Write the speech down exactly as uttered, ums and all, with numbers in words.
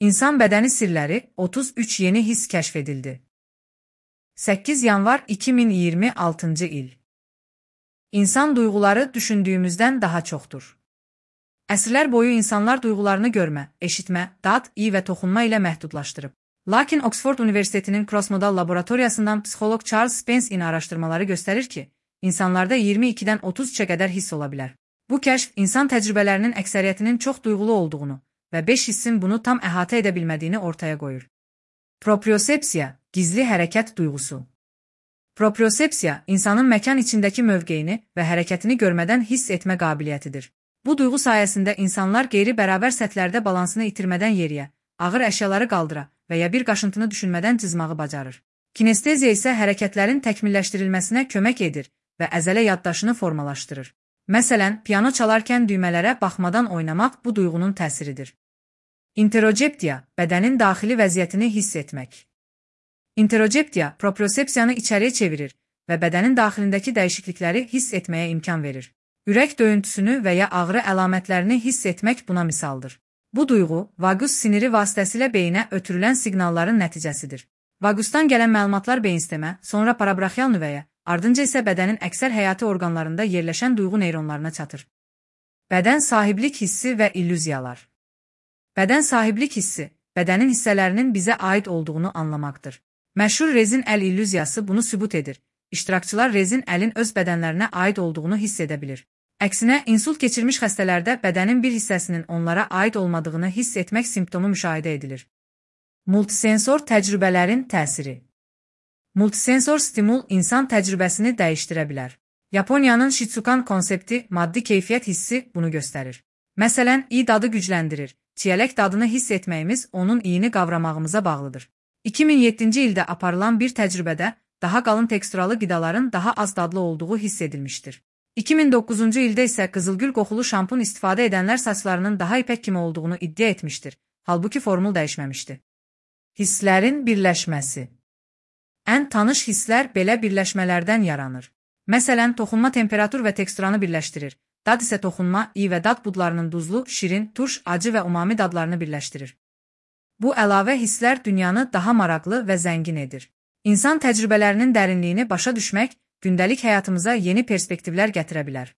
İnsan bədəni sirləri otuz üç yeni his kəşf edildi. səkkiz yanvar iki min iyirmi altıncı il. İnsan duyğuları düşündüyümüzdən daha çoxdur. Əsrlər boyu insanlar duyğularını görmə, eşitmə, dad, iy və toxunma ilə məhdudlaşdırıb. Lakin Oxford Universitetinin Crossmodal laboratoriyasından psixoloq Charles Spence'in araşdırmaları göstərir ki, insanlarda iyirmi ikidən otuz üçə qədər hiss ola bilər. Bu kəşf insan təcrübələrinin əksəriyyətinin çox duyğulu olduğunu və beş hissin bunu tam əhatə edə bilmədiyini ortaya qoyur. Propriosepsiya, gizli hərəkət duyğusu. Propriosepsiya, insanın məkan içindəki mövqeyini və hərəkətini görmədən hiss etmə qabiliyyətidir. Bu duyğu sayəsində insanlar qeyri-bərabər səthlərdə balansını itirmədən yeriyə, ağır əşyaları qaldıra və ya bir qaşıntını düşünmədən cızmağı bacarır. Kinesteziya isə hərəkətlərin təkmilləşdirilməsinə kömək edir və əzələ yaddaşını formalaşdırır. Məsələn, piano çalarkən düymələrə baxmadan oynamaq bu duyğunun təsiridir. Interoceptiya, bədənin daxili vəziyyətini hiss etmək. Interoceptiya, propriosepsiyanı içəriyə çevirir və bədənin daxilindəki dəyişiklikləri hiss etməyə imkan verir. Ürək döyüntüsünü və ya ağrı əlamətlərini hiss etmək buna misaldır. Bu duyğu, vagus siniri vasitəsilə beyinə ötürülən siqnalların nəticəsidir. Vagusdan gələn məlumatlar beyinstemə, sonra parabraxial nüvəyə, ardınca isə bədənin əksər həyati orqanlarında yerləşən duyğu neyronlarına çatır. Bədən sahiblik hissi və illüziyalar. Bədən sahiblik hissi, bədənin hissələrinin bizə aid olduğunu anlamaqdır. Məşhur rezin əl illüziyası bunu sübut edir. İştirakçılar rezin əlin öz bədənlərinə aid olduğunu hiss edə bilir. Əksinə, insult keçirmiş xəstələrdə bədənin bir hissəsinin onlara aid olmadığını hiss etmək simptomu müşahidə edilir. Multisensor təcrübələrin təsiri. Multisensor stimul insan təcrübəsini dəyişdirə bilər. Yaponiyanın Shitsukan konsepti maddi keyfiyyət hissi bunu göstərir. Məsələn, iy dadı gücləndirir. Çiyələk dadını hiss etməyimiz onun iyini qavramağımıza bağlıdır. iki min yeddinci ildə aparılan bir təcrübədə daha qalın teksturalı qidaların daha az dadlı olduğu hiss edilmişdir. iki min doqquzuncu ildə isə qızılgül qoxulu şampun istifadə edənlər saçlarının daha ipək kimi olduğunu iddia etmişdir. Halbuki formul dəyişməmişdi. Hisslərin birləşməsi. Ən tanış hisslər belə birləşmələrdən yaranır. Məsələn, toxunma temperatur və teksturanı birləşdirir. Dad isə toxunma, iy və dad budlarının duzlu, şirin, turş, acı və umami dadlarını birləşdirir. Bu əlavə hisslər dünyanı daha maraqlı və zəngin edir. İnsan təcrübələrinin dərinliyini başa düşmək, gündəlik həyatımıza yeni perspektivlər gətirə bilər.